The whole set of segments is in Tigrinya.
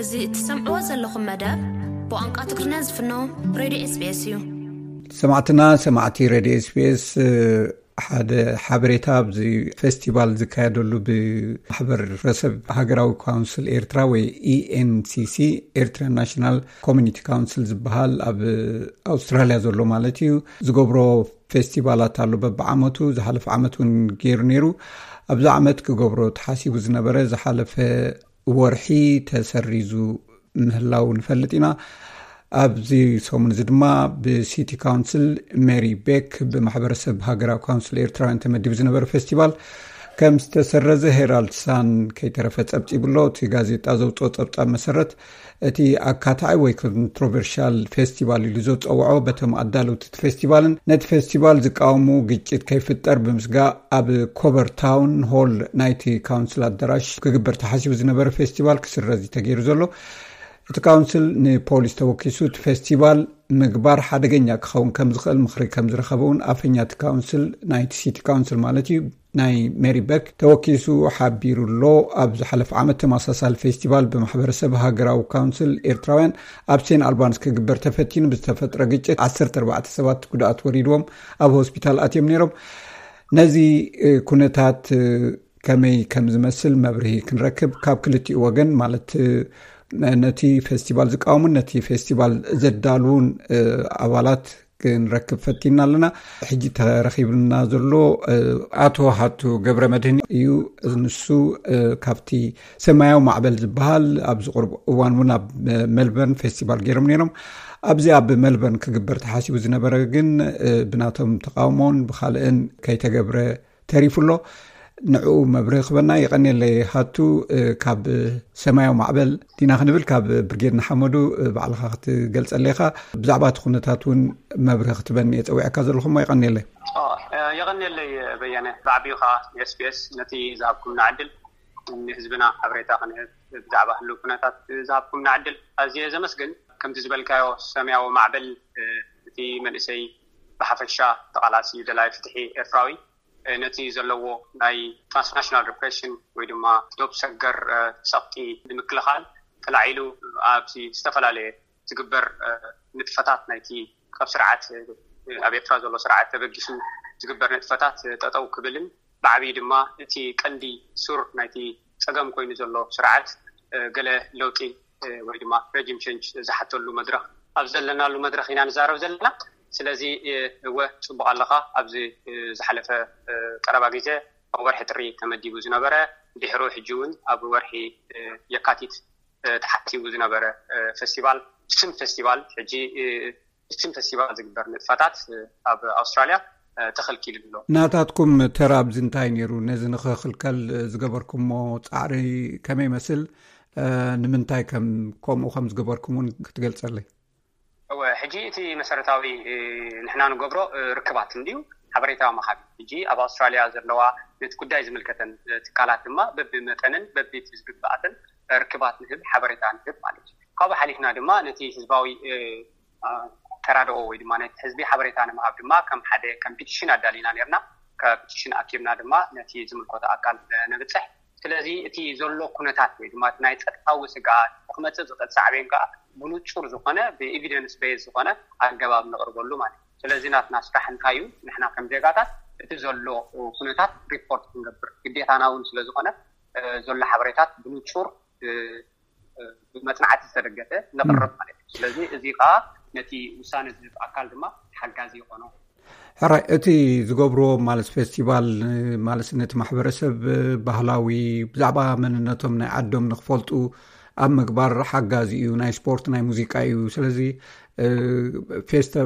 እዚ እትሰምዕዎ ዘለኹም መደብ ብቋንቋ ትግርኛ ዝፍኖ ሬድዮ ኤስቢኤስ እዩ። ሰማዕትና ሰማዕቲ ሬድዮ ኤስቢኤስ፣ ሓደ ሓበሬታ፣ ኣብዚ ፌስቲቫል ዝካየደሉ ብማሕበረሰብ ሃገራዊ ካውንስል ኤርትራ ወይ ኢኤንሲሲ፣ ኤርትራ ናሽናል ኮሚኒቲ ካውንስል ዝበሃል ኣብ ኣውስትራልያ ዘሎ ማለት እዩ፣ ዝገብሮ ፌስቲቫላት ኣሎ በብዓመቱ። ዝሓለፈ ዓመት እውን ገይሩ ነይሩ። ኣብዚ ዓመት ክገብሮ ተሓሲቡ ዝነበረ ዝሓለፈ ወርሒ ተሰሪዙ ምህላው ንፈልጥ ኢና። ኣብዚ ሰሙን እዚ ድማ ብሲቲ ካውንስል ሜሪ ቤክ ብማሕበረሰብ ሃገራዊ ካውንስል ኤርትራውያን ተመዲቡ ዝነበረ ፌስቲቫል ከም ዝተሰረዘ ሄራልድ ሳን ከይተረፈ ጸብጺቡ ኣሎ። እቲ ጋዜጣ ዘውፅኦ ጸብጻብ መሰረት፣ እቲ ኣካታዒ ወይ ኮንትሮቨርሻል ፌስቲቫል ኢሉ ዘውፀውዖ በቶም ኣዳለውቲ እቲ ፌስቲቫልን ነቲ ፌስቲቫል ዝቃወሙ ግጭት ከይፍጠር ብምስጋእ ኣብ ኮቨር ታውን ሆል ናይቲ ካውንስል ኣዳራሽ ክግበር ተሓሲቡ ዝነበረ ፌስቲቫል ክስረዝ እዩ ተገይሩ ዘሎ። እቲ ካውንስል ንፖሊስ ተወኪሱ እቲ ፌስቲቫል ምግባር ሓደገኛ ክኸውን ከም ዝኽእል ምኽሪ ከም ዝረኸበ እውን ኣፈኛ እቲ ካውንስል፣ ናይቲ ሲቲ ካውንስል ማለት እዩ፣ ናይ ሜሪ በክ ተወኪሱ ሓቢሩ ኣሎ። ኣብ ዝሓለፈ ዓመት ተመሳሳሊ ፌስቲቫል ብማሕበረሰብ ሃገራዊ ካውንስል ኤርትራውያን ኣብ ሴን ኣልባንስ ክግበር ተፈቲኑ ብዝተፈጥረ ግጭት ዓሰርተ ኣርባዕተ ሰባት ጉድኣት ወሪድዎም ኣብ ሆስፒታል ኣትዮም ነይሮም። ነዚ ኩነታት ከመይ ከም ዝመስል መብርሂ ክንረክብ ካብ ክልቲኡ ወገን፣ ማለት ነቲ ፌስቲቫል ዝቃወሙን ነቲ ፌስቲቫል ዘዳልዉን ኣባላት ክንረክብ ፈቲና ኣለና። ሕጂ ተረኺብና ዘሎ ኣቶ ሃቱ ገብረ መድህን እዩ። ንሱ ካብቲ ሰማያዊ ማዕበል ዝበሃል ኣብዚ ቁርብ እዋን እውን ኣብ ሜልበርን ፌስቲቫል ገይሮም ነይሮም። ኣብዚ ኣብ ሜልበርን ክግበር ተሓሲቡ ዝነበረ ግን ብናቶም ተቃውሞን ብካልእን ከይተገብረ ተሪፉ ኣሎ። ንዕኡ መብርሂ ክበና። የቐንየለይ ሃቱ። ካብ ሰማያዊ ማዕበል ዲና ክንብል፣ ካብ ብርጌድ ንሓመዱ ባዕልኻ ክትገልጸለይ ኢኻ። ብዛዕባ እቲ ኩነታት እውን መብርሂ ክትበኒ እየ ጸዊዐካ ዘለኹ እሞ የቐንየለይ። የቐንየለይ በየነ። ብዓቢኡ ከዓ ኤስቢኤስ ነቲ ዝሃብኩምና ዕድል ንህዝብና ሓበሬታ ክንህብ ብዛዕባ ህልው ኩነታት ዝሃብኩምና ዕድል ኣዝየ ዘመስግን። ከምቲ ዝበልካዮ ሰማያዊ ማዕበል እቲ መንእሰይ ብሓፈሻ ተቓላሲ ደላይ ፍትሒ ኤርትራዊ ነቲ ዘለዎ ናይ ትራንስናሽናል ሪፕሬሽን ወይ ድማ ዶብ ሰገር ሰቕጢ ንምክልኻል ተላዒሉ ኣብዚ ዝተፈላለየ ዝግበር ንጥፈታት ናይቲ ካብ ስርዓት ኣብ ኤርትራ ዘሎ ስርዓት ተበጊሱ ዝግበር ንጥፈታት ጠጠው ክብልን ብዓብዪ ድማ እቲ ቀንዲ ሱር ናይቲ ፀገም ኮይኑ ዘሎ ስርዓት ገለ ለውጢ ወይ ድማ ረጅም ቸንጅ ዝሓተሉ መድረክ ኣብ ዘለናሉ መድረክ ኢና ንዛረብ ዘለና። ስለዚ እወ ፅቡቅ ኣለካ። ኣብዚ ዝሓለፈ ቀረባ ግዜ ኣብ ወርሒ ጥሪ ተመዲቡ ዝነበረ ድሕሩ ሕጂ እውን ኣብ ወርሒ የካቲት ተሓሲቡ ዝነበረ ፌስቲቫል ስም ፌስቲቫል ሕጂ ስም ፌስቲቫል ዝግበር ንጥፈታት ኣብ ኣውስትራልያ ተኸልኪሉ ኣሎ። ናታትኩም ተራ ኣብዚ እንታይ ነይሩ? ነዚ ንኽኽልከል ዝገበርኩሞ ፃዕሪ ከመይ ይመስል? ንምንታይ ከም ከምኡ ከም ዝገበርኩም እውን ክትገልፀለይ? እወ፣ ሕጂ እቲ መሰረታዊ ንሕና ንገብሮ ርክባት እንድዩ፣ ሓበሬታ ምሃብ። ሕጂ ኣብ ኣውስትራልያ ዘለዋ ነቲ ጉዳይ ዝምልከተን ትካላት ድማ በብመጠንን በብቲ ዝግብኣተን ርክባት ንህብ፣ ሓበሬታ ንህብ ማለት እዩ። ካብኡ ሓሊፍና ድማ ነቲ ህዝባዊ ተራድኦ ወይ ድማ ነቲ ህዝቢ ሓበሬታ ንምሃብ ድማ ከም ሓደ ከም ፒቲሽን ኣዳሊና ነርና። ካብ ፒቲሽን ኣኪብና ድማ ነቲ ዝምልከቶ ኣካል ነብፅሕ። ስለዚ እቲ ዘሎ ኩነታት ወይ ድማ ናይ ፀጥታዊ ስግኣት ክመፅእ ዝኽእል ሳዕቤን ከዓ ብንፁር ዝኾነ ብኤቪደንስ ቤዝ ዝኾነ ኣገባብ ነቕርበሉ ማለት እዩ። ስለዚ ናትና ስራሕ እንታይ እዩ? ንሕና ከም ዜጋታት እቲ ዘሎ ኩነታት ሪፖርት ክንገብር ግዴታና እውን ስለዝኾነ ዘሎ ሓበሬታት ብንፁር ብመፅናዕቲ ዝተደገፈ ነቕርብ ማለት እዩ። ስለዚ እዚ ከዓ ነቲ ውሳነ ዝህብ ኣካል ድማ ሓጋዚ ይኾኖ። ሕራይ፣ እቲ ዝገብርዎ ማለት ፌስቲቫል ማለት ነቲ ማሕበረሰብ ባህላዊ ብዛዕባ መንነቶም ናይ ዓዶም ንክፈልጡ ኣብ ምግባር ሓጋዚ እዩ። ናይ ስፖርት ናይ ሙዚቃ እዩ። ስለዚ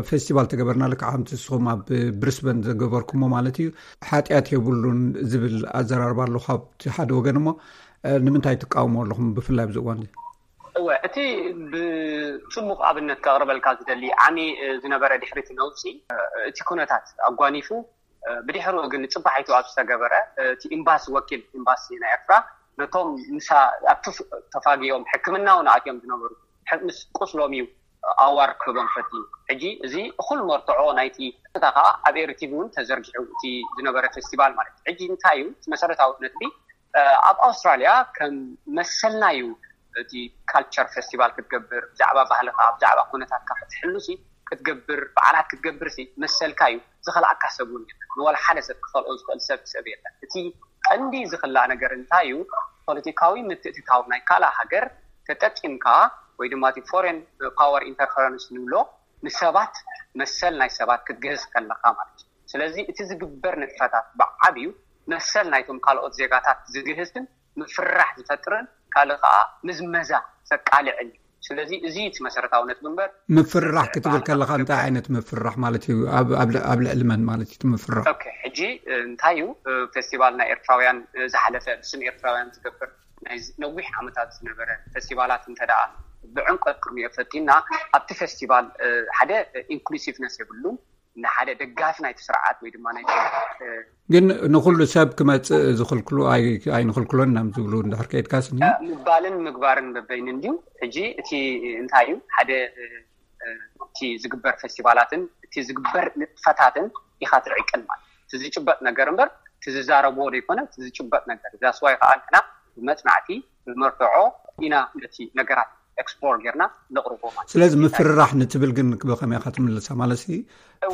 ፌስቲቫል ተገበርና ልክዓ ከምቲ ንስኹም ኣብ ብሪስበን ዘገበርኩሞ ማለት እዩ። ሓጢኣት የብሉን ዝብል ኣዘራርባ ኣሎ ካብቲ ሓደ ወገን። እሞ ንምንታይ ትቃወሞ ኣለኹም ብፍላይ ኣብዚ እዋን? እወ፣ እቲ ብፅቡቕ ኣብነት ከቕርበልካ ዝደሊ ዓሚ ዝነበረ ድሕሪ እቲ ነውፂ እቲ ኩነታት ኣጓኒፉ ብድሕሪኡ ግን ፅባሒቱ ኣብ ዝተገበረ እቲ ኤምባሲ ወኪል ኤምባሲ ናይ ኤርትራ ነቶም ምሳ ኣብቲ ተፋጊኦም ሕክምና እውን ኣትዮም ዝነበሩ ምስ ቁስሎም እዩ ኣዋር ክህቦም ፈትዩ። ሕጂ እዚ እኹል መርትዖ ናይቲ ቀጥታ ከዓ ኣብ ኤሪ ቲቪ እውን ተዘርጊሑ እቲ ዝነበረ ፌስቲቫል ማለት እዩ። ሕጂ እንታይ እዩ እቲ መሰረታዊ ነጥቢ? ኣብ ኣውስትራልያ ከም መሰልና እዩ እቲ ካልቸር ፌስቲቫል ክትገብር፣ ብዛዕባ ባህልካ፣ ብዛዕባ ኩነታትካ ክትሕሉሲ ክትገብር፣ በዓላት ክትገብር ሲ መሰልካ እዩ። ዝኸልኣካ ሰብ እውን የለን። ንዋላ ሓደ ሰብ ክኸልኦ ዝኽእል ሰብ ሰብ የለን። እቲ ቀንዲ ዝኽላእ ነገር እንታይ እዩ? ፖለቲካዊ ምትእትታው ናይ ካልእ ሃገር ተጠቂምካ ወይ ድማ እቲ ፎሬን ፓወር ኢንተርፈረንስ ንብሎ ንሰባት መሰል ናይ ሰባት ክትግህስ ከለካ ማለት እዩ። ስለዚ እቲ ዝግበር ንጥፈታት ብዓብዩ መሰል ናይቶም ካልኦት ዜጋታት ዝግህስን ምፍራሕ ዝፈጥርን ካልእ ከዓ ምዝመዛ ዘቃልዕን እዩ። ስለዚ እዚ እቲ መሰረታዊ ነጥቢ እምበር ምፍርራሕ ክትብል ከለካ እንታይ ዓይነት ምፍርራሕ ማለት እዩ? ኣብ ልዕሊ መን ማለት እዩ ምፍራሕ? ሕጂ እንታይ እዩ ፌስቲቫል ናይ ኤርትራውያን ዝሓለፈ ብስም ኤርትራውያን ዝገብር ናይ ነዊሕ ዓመታት ዝነበረ ፌስቲቫላት እንተ ደኣ ብዕምቀት ክንሪኦ ፈቲና ኣብቲ ፌስቲቫል ሓደ ኢንክሉሲቭነስ የብሉን። ንሓደ ደጋፊ ናይቲ ስርዓት ወይ ድማ ናይ ግን ንኩሉ ሰብ ክመፅእ ዝክልክሉ ኣይንክልክሎን እናም ዝብሉ እንድሕር ከይድካ ስኒ ምባልን ምግባርን በበይን እንዲዩ። ሕጂ እቲ እንታይ እዩ ሓደ እቲ ዝግበር ፌስቲቫላትን እቲ ዝግበር ንጥፈታትን ኢካ ትዕቅን ማለት እቲ ዝጭበጥ ነገር እምበር እቲ ዝዛረብዎ ዘይኮነ እቲ ዝጭበጥ ነገር ዛስዋይ ከዓ ንሕና ብመፅናዕቲ ብመርትዖ ኢና ነቲ ነገራት ኤክስፕሎር ጌርና ነቕርቦ ማለት ስለዚ ምፍርራሕ ንትብል ግን ብኸመይ ኢኻ ትምልሳ ማለት ሲ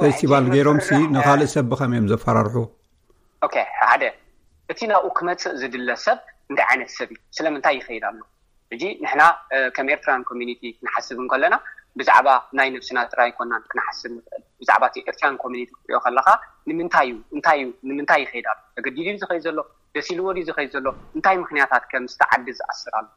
ፌስቲቫል ገይሮም ሲ ንካልእ ሰብ ብኸመይ እዮም ዘፈራርሑ ሓደ እቲ ናብኡ ክመፅእ ዝድለ ሰብ እንታይ ዓይነት ሰብ እዩ ስለምንታይ ይኸይድ ኣሎ ሕጂ ንሕና ከም ኤርትራን ኮሚኒቲ ክንሓስብ እንከለና ብዛዕባ ናይ ነብስና ጥራይ ኮናን ክንሓስብ ንኽእል ብዛዕባ እቲ ኤርትራን ኮሚኒቲ ክትሪኦ ከለካ ንምንታይ እዩ እንታይ እዩ ንምንታይ ይኸይድ ኣሎ ተገዲዱ ዝኸይድ ዘሎ ደስ ኢልዎ ድዩ ዝኸይድ ዘሎ እንታይ ምክንያታት ከም ዝተዓዲ ዝኣስር ኣሎ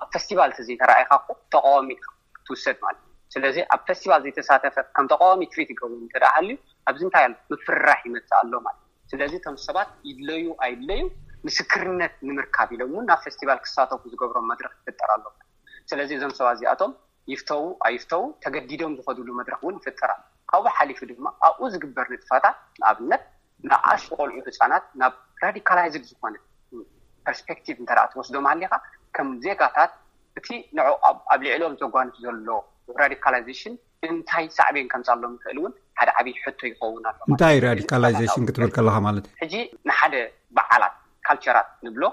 ኣብ ፌስቲቫል ተዘይተረኣይካ እኮ ተቃዋሚ ኢካ ክትውሰድ ማለት እዩ ስለዚ ኣብ ፌስቲቫል ዘይተሳተፈ ከም ተቃዋሚ ትሪት ይገብሩ እንተ ደኣ ሃልዩ ኣብዚ እንታይ ኣሎ ምፍርራሕ ይመፅእ ኣሎ ማለት እዩ ስለዚ እቶም ሰባት ይድለዩ ኣይድለዩ ምስክርነት ንምርካብ ኢሎም እውን ናብ ፌስቲቫል ክሳተፉ ዝገብሮም መድረክ ይፍጠር ኣሎ ስለዚ እዞም ሰባት እዚኣቶም ይፍተዉ ኣይፍተዉ ተገዲዶም ዝኸድሉ መድረክ እውን ይፍጠር ኣሎ ካብኡ ሓሊፉ ድማ ኣብኡ ዝግበር ንጥፈታት ንኣብነት ንኣሽቱ ቆልዑ ህፃናት ናብ ራዲካላይዝድ ዝኾነ ፐርስፔክቲቭ እንተ ትወስዶም ሃሊኻ ከም ዜጋታት እቲ ንዑ ኣብ ልዕሎም ዘጓንፍ ዘሎ ራዲካላይዜሽን እንታይ ሳዕቤን ከምፃሎም ይኽእል እውን ሓደ ዓብዪ ሕቶ ይኸውን ኣሎ እንታይ ራዲካላይዜሽን ክትብል ከለካ ማለት እዩ ሕጂ ንሓደ በዓላት ካልቸራት ንብሎ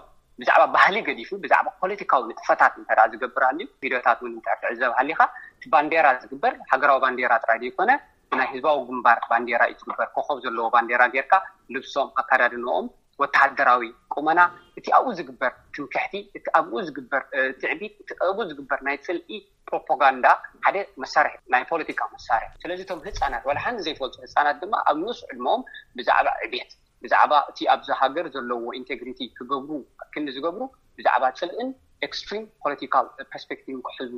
ብዛዕባ ባህሊ ገዲፉ ብዛዕባ ፖለቲካዊ ንጥፈታት እንተ ዝገብር ኣልዩ ቪድዮታት እውን እንተ ትዕዘብ ሃሊካ እቲ ባንዴራ ዝግበር ሃገራዊ ባንዴራ ጥራይ ዘይኮነ ብናይ ህዝባዊ ግንባር ባንዴራ እዩ ዝግበር ኮኸብ ዘለዎ ባንዴራ ጌርካ ልብሶም ኣካዳድንኦም ወተሃደራዊ ቁመና እቲ ኣብኡ ዝግበር ትምክሕቲ እቲ ኣብኡ ዝግበር ትዕቢት እቲ ኣብኡ ዝግበር ናይ ፅልኢ ፕሮፓጋንዳ ሓደ መሳርሒ ናይ ፖለቲካ መሳርሒ ስለዚ እቶም ህፃናት ዋላ ሓንቲ ዘይፈልጡ ህፃናት ድማ ኣብ ንኡስ ዕድመኦም ብዛዕባ ዕቤት ብዛዕባ እቲ ኣብዚ ሃገር ዘለዎ ኢንቴግሪቲ ክገብሩ ክንዲ ዝገብሩ ብዛዕባ ፅልእን ኤክስትሪም ፖለቲካል ፐርስፔክቲቭን ክሕዙ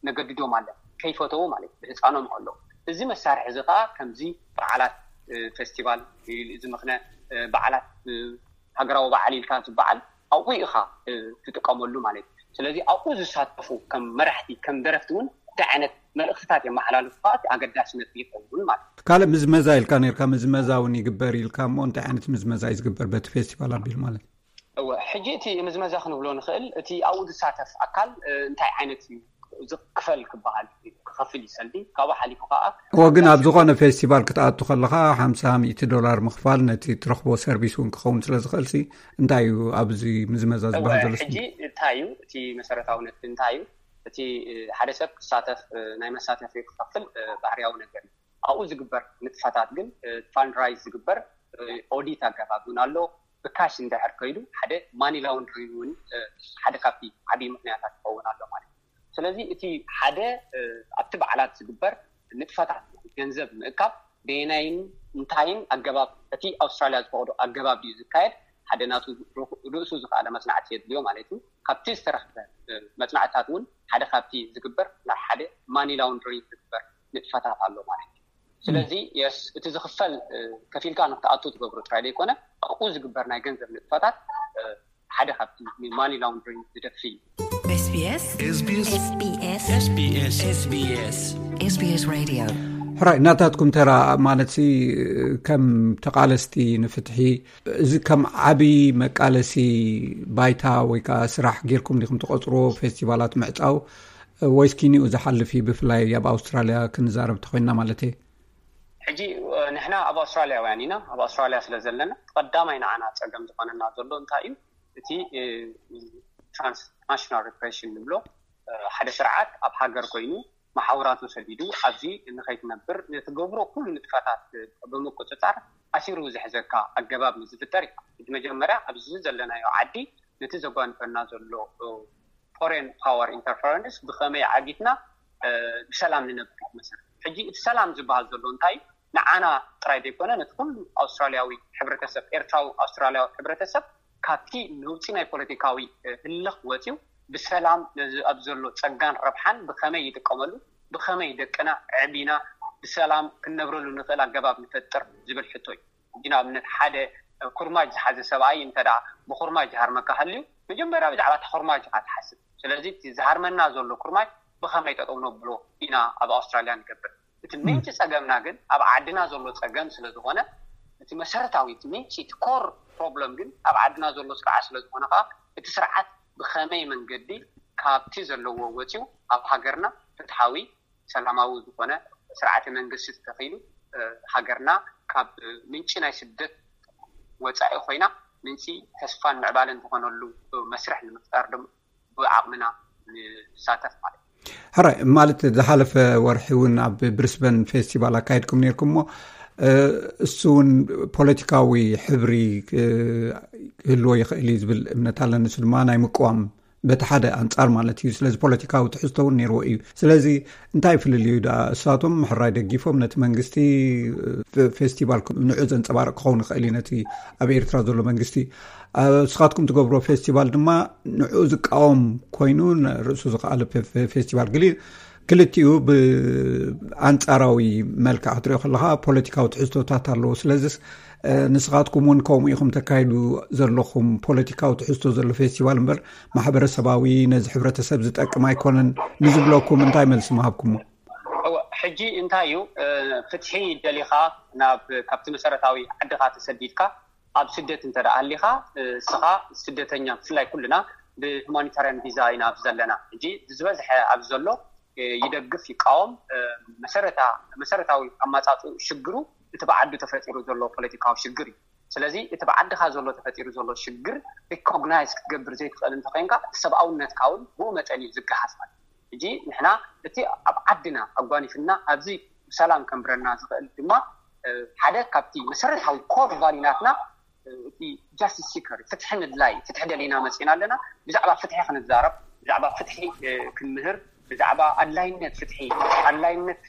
ነገድዶም ኣለ ከይፈተው ማለት ብህፃኖም ከለዉ እዚ መሳርሒ እዚ ከዓ ከምዚ በዓላት ፌስቲቫል ዝምክነ በዓላት ሃገራዊ በዓል ኢልካ ዝበዓል ኣብኡ ኢኻ ትጥቀመሉ ማለት እዩ ስለዚ ኣብኡ ዝሳተፉ ከም መራሕቲ ከም ደረፍቲ እውን እንታይ ዓይነት መልእክትታት የመሓላልፉ ከዓ ኣገዳሲ ነጥቢ ይኸውን ማለት እዩ ካልእ ምዝመዛ ኢልካ ነርካ ምዝመዛ እውን ይግበር ኢልካ እሞ እንታይ ዓይነት ምዝመዛ እዩ ዝግበር በቲ ፌስቲቫል ኣቢሉ ማለት እዩ እወ ሕጂ እቲ ምዝመዛ ክንብሎ ንኽእል እቲ ኣብኡ ዝሳተፍ ኣካል እንታይ ዓይነት እዩ ዝክፈል ክበሃል ክኸፍል ይሰልዲ ካብኡ ሓሊፉ ከዓ እወ ግን ኣብ ዝኾነ ፌስቲቫል ክትኣቱ ከለኻ ሓምሳ ሚእቲ ዶላር ምኽፋል ነቲ ትረኽቦ ሰርቪስ እውን ክኸውን ስለ ዝኽእል ሲ እንታይ እዩ ኣብዚ ምዝመዛ ዝበሃል ዘሎ ሕጂ እንታይ እዩ እቲ መሰረታዊ ነጥቢ እንታይ እዩ እቲ ሓደ ሰብ ክሳተፍ ናይ መሳተፊ ክኸፍል ባህርያዊ ነገር እዩ ኣብኡ ዝግበር ንጥፈታት ግን ፋንድራይዝ ዝግበር ኦዲት ኣገባብ እውን ኣሎ ብካሽ እንድሕር ከይዱ ሓደ ማኒ ላውንድሪንግ እውን ሓደ ካብቲ ዓብዪ ምክንያታት ክኸውን ኣሎ ማለት እዩ ስለዚ እቲ ሓደ ኣብቲ በዓላት ዝግበር ንጥፈታት ገንዘብ ምእካብ በየናይን እንታይን ኣገባብ እቲ ኣውስትራልያ ዝፈቅዶ ኣገባብ ድዩ ዝካየድ ሓደ ናቱ ርእሱ ዝኸኣለ መፅናዕቲ የድልዮ ማለት እዩ ካብቲ ዝተረክበ መፅናዕትታት እውን ሓደ ካብቲ ዝግበር ናይ ሓደ ማኒ ላውንድሪንግ ዝግበር ንጥፈታት ኣሎ ማለት እዩ ስለዚ የስ እቲ ዝኽፈል ከፊልካ ንክትኣቱ ትገብሮ ጥራይ ዘይኮነ ኣብኡ ዝግበር ናይ ገንዘብ ንጥፈታት ሓደ ካብቲ ማኒ ላውንድሪንግ ዝደፊ እዩ SBS SBS SBS SBS Radio ሕራይ ናታትኩም ተራ ማለት ከም ተቃለስቲ ንፍትሒ እዚ ከም ዓብዪ መቃለሲ ባይታ ወይ ከዓ ስራሕ ጌርኩም ዲኹም ትቆፅርዎ ፌስቲቫላት ምዕፃው ወይስ ኪኒኡ ዝሓልፍ እዩ ብፍላይ ኣብ ኣውስትራልያ ክንዛረብ ተኮይንና ማለት እየ ሕጂ ንሕና ኣብ ኣውስትራልያውያን ኢና ኣብ ኣውስትራልያ ስለ ዘለና ቀዳማይ ንዓና ፀገም ዝኾነና ዘሎ እንታይ እዩ እቲ ትራንስናሽናል ሪፕሬሽን ንብሎ ሓደ ስርዓት ኣብ ሃገር ኮይኑ መሓውራቱ ሰዲዱ ኣብዚ ንኸይትነብር ንትገብሮ ኩሉ ንጥፈታት ብምቁፅፃር ኣሲሩ ዝሕዘካ ኣገባብ ንዝፍጠር እዩ። እቲ መጀመርያ ኣብዚ ዘለናዮ ዓዲ ነቲ ዘጓንፈና ዘሎ ፎሬን ፓወር ኢንተርፈረንስ ብኸመይ ዓጊትና ብሰላም ንነብር መሰረት። ሕጂ እቲ ሰላም ዝበሃል ዘሎ እንታይ ንዓና ጥራይ ዘይኮነ ነቲ ኩሉ ኣውስትራሊያዊ ሕብረተሰብ፣ ኤርትራዊ ኣውስትራሊያዊ ሕብረተሰብ ካብቲ ነውፂ ናይ ፖለቲካዊ ህልኽ ወፂኡ ብሰላም ነዚ ኣብ ዘሎ ፀጋን ረብሓን ብኸመይ ይጥቀመሉ፣ ብኸመይ ደቅና ዕቢና ብሰላም ክንነብረሉ ንኽእል ኣገባብ ንፈጥር ዝብል ሕቶ እዩ። ሕጂ ንኣብነት ሓደ ኩርማጅ ዝሓዘ ሰብኣይ እንተ ብኩርማጅ ዝሃርመካ ሃልዩ መጀመርያ ብዛዕባ እቲ ኩርማጅ ኢኻ ትሓስብ። ስለዚ እቲ ዝሃርመና ዘሎ ኩርማጅ ብኸመይ ጠጠው ነብሎ ኢና ኣብ ኣውስትራልያ ንገብር። እቲ ምንጪ ፀገምና ግን ኣብ ዓድና ዘሎ ፀገም ስለዝኾነ እቲ መሰረታዊ እቲ ምንጪ እቲ ኮር ፕሮብለም ግን ኣብ ዓድና ዘሎ ስርዓት ስለዝኾነ ከዓ እቲ ስርዓት ብኸመይ መንገዲ ካብቲ ዘለዎ ወፂኡ ኣብ ሃገርና ፍትሓዊ ሰላማዊ ዝኾነ ስርዓተ መንግስቲ ተተኺሉ ሃገርና ካብ ምንጪ ናይ ስደት ወፃኢ ኮይና ምንጪ ተስፋን ምዕባለን ዝኾነሉ መስርሕ ንምፍጣር ድማ ብዓቕምና ንሳተፍ ማለት እዩ። ሕራይ ማለት ዝሓለፈ ወርሒ እውን ኣብ ብሪስበን ፌስቲቫል ኣካይድኩም ነርኩም እሞ እሱ እውን ፖለቲካዊ ሕብሪ ክህልዎ ይኽእል እዩ ዝብል እምነት ኣለኒ። እሱ ድማ ናይ ምቅዋም በቲ ሓደ ኣንጻር ማለት እዩ። ስለዚ ፖለቲካዊ ትሕዝቶ እውን ነይርዎ እዩ። ስለዚ እንታይ ፍልልዩ ደኣ? እሳቶም ሕራይ ደጊፎም ነቲ መንግስቲ ፌስቲቫል ንዑ ዘንጸባርቕ ክኸውን ይኽእል እዩ ነቲ ኣብ ኤርትራ ዘሎ መንግስቲ። እስኻትኩም ትገብርዎ ፌስቲቫል ድማ ንዑ ዝቃወም ኮይኑ ርእሱ ዝኸኣለ ፌስቲቫል ገሊ ክልቲኡ ብኣንጻራዊ መልክዕ ክትሪኦ ከለኻ ፖለቲካዊ ትሕዝቶታት ኣለዎ። ስለዚስ ንስኻትኩም እውን ከምኡ ኢኹም ተካይዱ ዘለኹም ፖለቲካዊ ትሕዝቶ ዘሎ ፌስቲቫል እምበር ማሕበረሰባዊ ነዚ ሕብረተሰብ ዝጠቅም ኣይኮነን ንዝብለኩም እንታይ መልሲ ምሃብኩሞ? ሕጂ እንታይ እዩ ፍትሒ ደሊኻ ናብ ካብቲ መሰረታዊ ዓድኻ ተሰዲድካ ኣብ ስደት እንተ ደኣ ሃሊኻ እስኻ ስደተኛ ብፍላይ ኩልና ብሁማኒታርያን ቪዛ ኢና ኣብዚ ዘለና። ሕጂ ዝበዝሐ ኣብዚ ዘሎ ይደግፍ ይቃወም መሰረታዊ ኣማፃፅኡ ሽግሩ እቲ ብዓዱ ተፈጢሩ ዘሎ ፖለቲካዊ ሽግር እዩ። ስለዚ እቲ ብዓድኻ ዘሎ ተፈጢሩ ዘሎ ሽግር ሪኮግናይዝ ክትገብር ዘይትኽእል እንተኮይንካ እቲ ሰብኣውነትካ እውን ብኡ መጠን እዩ ዝገሃስ ማለት እዩ። ሕጂ ንሕና እቲ ኣብ ዓድና ኣጓኒፍና ኣብዚ ብሰላም ከንብረና ዝኽእል ድማ ሓደ ካብቲ መሰረታዊ ኮር ቫሊናትና እቲ ጃስቲስ ሲከር ፍትሒ ምድላይ ፍትሒ ደሊና መፂና ኣለና። ብዛዕባ ፍትሒ ክንዛረብ ብዛዕባ ፍትሒ ክንምህር ብዛዕባ ኣድላይነት ፍትሒ ኣድላይነት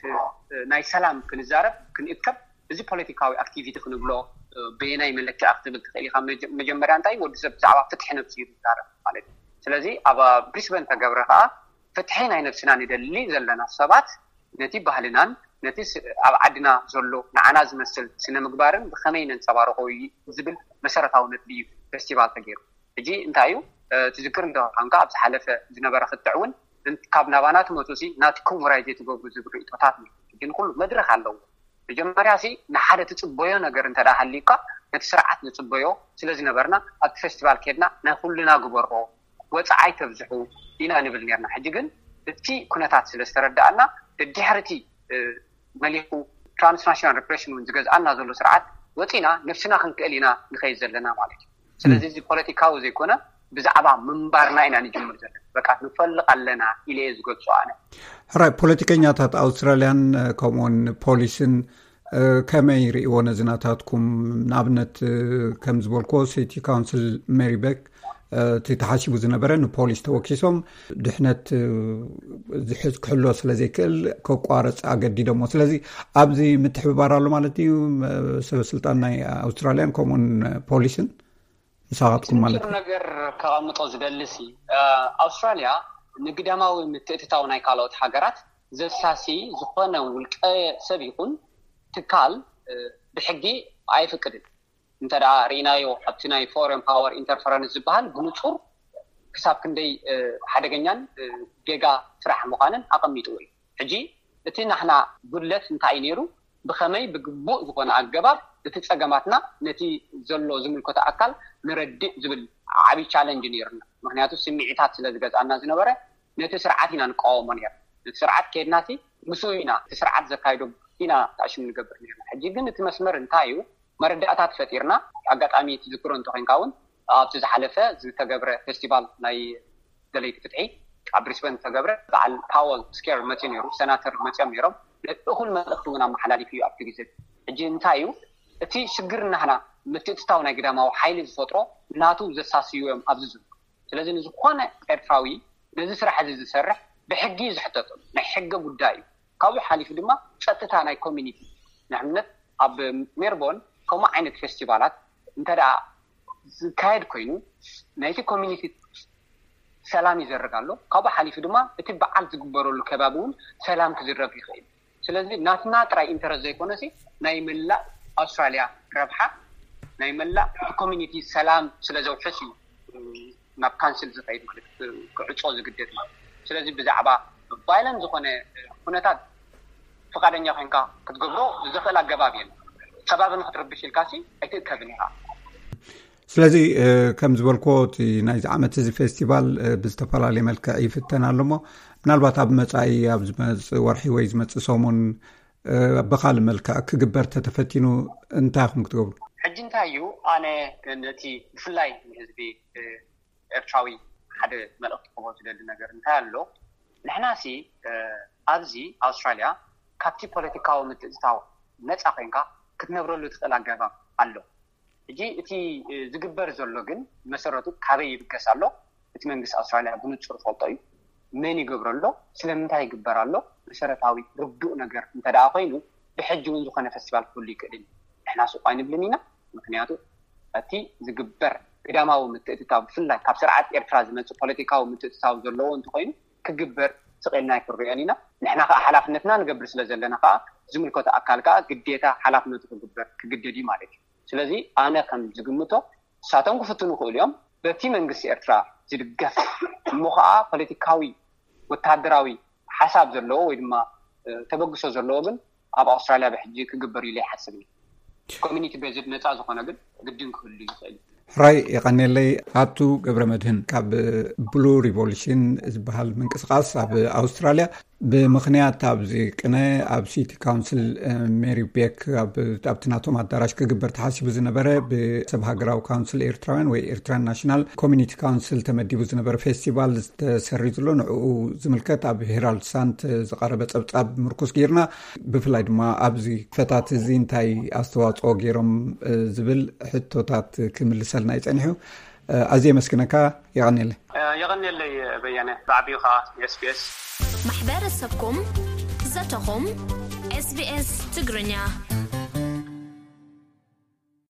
ናይ ሰላም ክንዛረብ ክንእከብ እዚ ፖለቲካዊ ኣክቲቪቲ ክንብሎ በየናይ መለክዕ ክትብል ትኽእል ኢኻ። መጀመርያ እንታይ ወዲ ሰብ ብዛዕባ ፍትሒ ነብሱ እዩ ዝዛረብ ማለት እዩ። ስለዚ ኣብ ብሪስበን ተገብረ ከዓ ፍትሒ ናይ ነብስና ንደሊ ዘለና ሰባት ነቲ ባህልናን ነቲ ኣብ ዓድና ዘሎ ንዓና ዝመስል ስነ ምግባርን ብኸመይ ነንፀባርቆ ዝብል መሰረታዊ ነጥቢ እዩ ፌስቲቫል ተገይሩ። ሕጂ እንታይ እዩ ትዝክር እንተኾንካ ኣብ ዝሓለፈ ዝነበረ ክትዕ እውን ካብ ናባና ትመፁ ሲ ናትኩም ውራይ ዘይትገብሩ ዝብል ርእቶታት ነይሩ። ሕጂ ንኩሉ መድረክ ኣለዎ። መጀመርያ ሲ ንሓደ ትፅበዮ ነገር እንተ ሃልዩካ ነቲ ስርዓት ንፅበዮ ስለዝነበርና ኣብቲ ፌስቲቫል ከድና ናይ ኩልና ግበሮ ወፃዓይ ተብዝሑ ኢና ንብል ነርና። ሕጂ ግን እቲ ኩነታት ስለ ዝተረዳኣና ድድሕርቲ መሊኹ ትራንስናሽናል ሪፕሬሽን እውን ዝገዝኣና ዘሎ ስርዓት ወፂና ነብስና ክንክእል ኢና ንኸይድ ዘለና ማለት እዩ። ስለዚ እዚ ፖለቲካዊ ዘይኮነ ብዛዕባ ምንባርና ኢና ንጅምር ዘለና። በቃ ንፈልቕ ኣለና ኢለ እየ ዝገልፆ ኣነ። ሕራይ ፖለቲከኛታት ኣውስትራልያን ከምኡውን ፖሊስን ከመይ ይርእይዎ ነዚ ናታትኩም? ንኣብነት ከም ዝበልክዎ ሲቲ ካውንስል ሜሪ ቤክ እቲ ተሓሲቡ ዝነበረ ንፖሊስ ተወኪሶም ድሕነት ዝሕዝ ክሕሎ ስለ ዘይክእል ከቋርፅ ኣገዲዶሞ። ስለዚ ኣብዚ ምትሕብባር ኣሎ ማለት እዩ ሰበ ስልጣን ናይ ኣውስትራልያን ከምኡን ፖሊስን ምሳኻትኩም ማለት እዩ። ነገር ከቐምጦ ዝደልሲ ኣውስትራልያ ንግዳማዊ ምትእትታው ናይ ካልኦት ሃገራት ዘሳሲ ዝኾነ ውልቀ ሰብ ይኹን ትካል ብሕጊ ኣይፍቅድን። እንተ ርኢናዮ ኣብቲ ናይ ፎረን ፓወር ኢንተርፈረንስ ዝበሃል ብንፁር ክሳብ ክንደይ ሓደገኛን ጌጋ ስራሕ ምዃንን ኣቐሚጥዎ እዩ። ሕጂ እቲ ናሕና ጉድለት እንታይ እዩ ነይሩ? ብኸመይ ብግቡእ ዝኾነ ኣገባብ እቲ ፀገማትና ነቲ ዘሎ ዝምልከቶ ኣካል ንረድእ ዝብል ዓብዪ ቻለንጅ ነይሩና። ምክንያቱ ስምዒታት ስለ ዝገዝኣና ዝነበረ ነቲ ስርዓት ኢና ንቃወሞ ነርና። ነቲ ስርዓት ከድናሲ ምስኡ ኢና እቲ ስርዓት ዘካይዶ ኢና ተኣሽሙ ንገብር ነርና። ሕጂ ግን እቲ መስመር እንታይ እዩ? መረዳእታት ፈጢርና ኣጋጣሚ ትዝክሮ እንተኮንካ እውን ኣብቲ ዝሓለፈ ዝተገብረ ፌስቲቫል ናይ ደለይቲ ፍትሒ ኣብ ብሪስበን ዝተገብረ በዓል ፓወል ስኬር መፅኡ ነይሩ፣ ሰናተር መፅኦም ነይሮም። እኹል መልእኽቲ እውን ኣመሓላሊፉ እዩ ኣብቲ ግዜ። ሕጂ እንታይ እዩ እቲ ሽግር ናህና? ምትእትታው ናይ ግዳማዊ ሓይሊ ዝፈጥሮ ናቱ ዘሳስዩ እዮም ኣብዚ ዝብሉ። ስለዚ ንዝኾነ ኤርትራዊ ነዚ ስራሕ እዚ ዝሰርሕ ብሕጊ እዩ ዝሕተተሉ፣ ናይ ሕገ ጉዳይ እዩ። ካብኡ ሓሊፉ ድማ ፀጥታ ናይ ኮሚኒቲ፣ ንኣብነት ኣብ ሜርቦን ከምኡ ዓይነት ፌስቲቫላት እንተ ደኣ ዝካየድ ኮይኑ ናይቲ ኮሚኒቲ ሰላም ይዘርግ ኣሎ። ካብኡ ሓሊፉ ድማ እቲ በዓል ዝግበረሉ ከባቢ እውን ሰላም ክዝረግ ይኽእል። ስለዚ ናትና ጥራይ ኢንተረስት ዘይኮነሲ ናይ መላእ ኣውስትራልያ ረብሓ፣ ናይ መላእ እቲ ኮሚኒቲ ሰላም ስለ ዘውሕስ እዩ ናብ ካንስል ዝኸይድ ማለት ክዕፆ ዝግደድ ማለት። ስለዚ ብዛዕባ ቫይለንት ዝኾነ ኩነታት ፍቃደኛ ኮይንካ ክትገብሮ ዝኽእል ኣገባብ የለን። ከባቢ ንክትርብሽ ኢልካ ሲ ኣይትእከብን ኢኻ። ስለዚ ከም ዝበልኮ እቲ ናይዚ ዓመት እዚ ፌስቲቫል ብዝተፈላለየ መልክዕ ይፍተን ኣሎ እሞ ምናልባት ኣብ መፃኢ ኣብ ዝመፅእ ወርሒ ወይ ዝመፅእ ሰሙን ብካልእ መልክዕ ክግበር ተተፈቲኑ እንታይ ኢኹም ክትገብሩ? ሕጂ እንታይ እዩ ኣነ ነቲ ብፍላይ ንህዝቢ ኤርትራዊ ሓደ መልእኽቲ ክቦ ዝደሊ ነገር እንታይ ኣሎ? ንሕና ሲ ኣብዚ ኣውስትራልያ ካብቲ ፖለቲካዊ ምትእትታው ነፃ ኮይንካ ክትነብረሉ ትኽእል ኣገባብ ኣሎ። ሕጂ እቲ ዝግበር ዘሎ ግን መሰረቱ ካበይ ይብገስ ኣሎ? እቲ መንግስቲ ኣውስትራልያ ብንጹር ዝፈልጦ እዩ። መን ይገብሮ ኣሎ? ስለምንታይ ይግበር ኣሎ? መሰረታዊ ርዱእ ነገር እንተ ደኣ ኮይኑ ብሕጂ እውን ዝኾነ ፈስቲቫል ክህሉ ይክእል እዩ። ንሕና ስቕ ኣይንብልን ኢና። ምክንያቱ እቲ ዝግበር ግዳማዊ ምትእትታው ብፍላይ ካብ ስርዓት ኤርትራ ዝመፅእ ፖለቲካዊ ምትእትታው ዘለዎ እንተኮይኑ ክግበር ስቕ ኢልና ኣይክንሪኦን ኢና። ንሕና ከዓ ሓላፍነትና ንገብር ስለ ዘለና ከዓ ዝምልከቶ ኣካል ከዓ ግዴታ ሓላፍነቱ ክግበር ክግደድ እዩ ማለት እዩ። ስለዚ ኣነ ከም ዝግምቶ ንሳቶም ክፍትኑ ይኽእሉ እዮም። በቲ መንግስቲ ኤርትራ ዝድገፍ እሞ ከዓ ፖለቲካዊ ወታደራዊ ሓሳብ ዘለዎ ወይ ድማ ተበግሶ ዘለዎ ግን ኣብ ኣውስትራልያ ብሕጂ ክግበር ኢሉ ይሓስብ። ኮሚኒቲ ቤዝድ ነፃ ዝኾነ ግን ግድን ክህሉ ይኽእል። ሕራይ የቐኔለይ። ኣቱ ገብረ መድህን ካብ ብሉ ሪቮሉሽን ዝበሃል ምንቅስቃስ ኣብ ኣውስትራልያ ብምኽንያት ኣብዚ ቅነ ኣብ ሲቲ ካውንስል ሜሪ ቤክ ኣብቲ ናቶም ኣዳራሽ ክግበር ተሓሲቡ ዝነበረ ብሰብ ሃገራዊ ካውንስል ኤርትራውያን ወይ ኤርትራን ናሽናል ኮሚኒቲ ካውንስል ተመዲቡ ዝነበረ ፌስቲቫል ዝተሰሪዙ ኣሎ። ንዕኡ ዝምልከት ኣብ ሄራልድ ሳንት ዝቐረበ ጸብጻብ ምርኩስ ጌርና ብፍላይ ድማ ኣብዚ ክፈታት እዚ እንታይ ኣስተዋፅኦ ገይሮም ዝብል ሕቶታት ክምልሰልና ይጸኒሑ። ኣዝየ የመስግነካ። የቐንየለይ። የቐንየለይ በየነ፣ ብዓቢኡ ከዓ SBS። ማሕበረሰብኩም፣ ዘተኹም፣ SBS ትግርኛ።